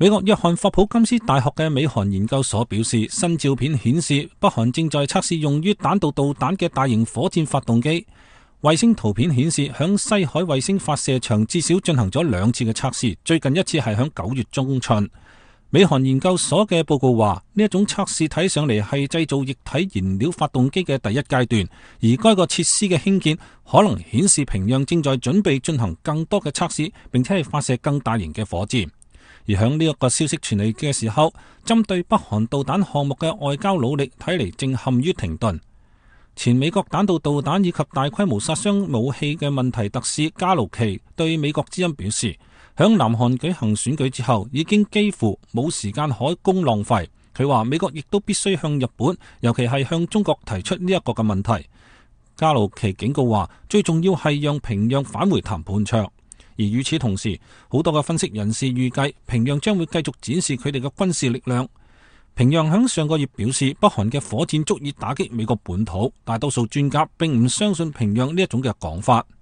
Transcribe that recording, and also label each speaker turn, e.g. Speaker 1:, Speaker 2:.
Speaker 1: 美國約翰霍普金斯大學嘅美韓研究所表示，新照片顯示北韓正在測試用於彈道導彈嘅大型火箭發動機。衛星圖片顯示，響西海衛星發射場至少進行咗2次嘅測試，最近一次係響9月中旬。美韓研究所嘅報告話，呢一種測試睇上嚟係製造液體燃料發動機嘅第一階段，而該個設施嘅興建可能顯示平壤正在準備進行更多嘅測試，並且係發射更大型嘅火箭。而響呢一個消息傳嚟嘅時候，針對北韓導彈項目嘅外交努力睇嚟正陷於停頓。前美國彈道導彈以及大規模殺傷武器嘅問題特使加魯奇對美國之音表示，響南韓舉行選舉之後，已經幾乎冇時間可供浪費。佢話美國亦都必須向日本，尤其係向中國提出呢一個嘅問題。加魯奇警告話，最重要係讓平壤返回談判桌。而與此同時，好多嘅分析人士預計平壤將會繼續展示佢哋嘅軍事力量。平壤響上個月表示，北韓嘅火箭足以打擊美國本土，大多數專家並唔相信平壤呢一種嘅講法。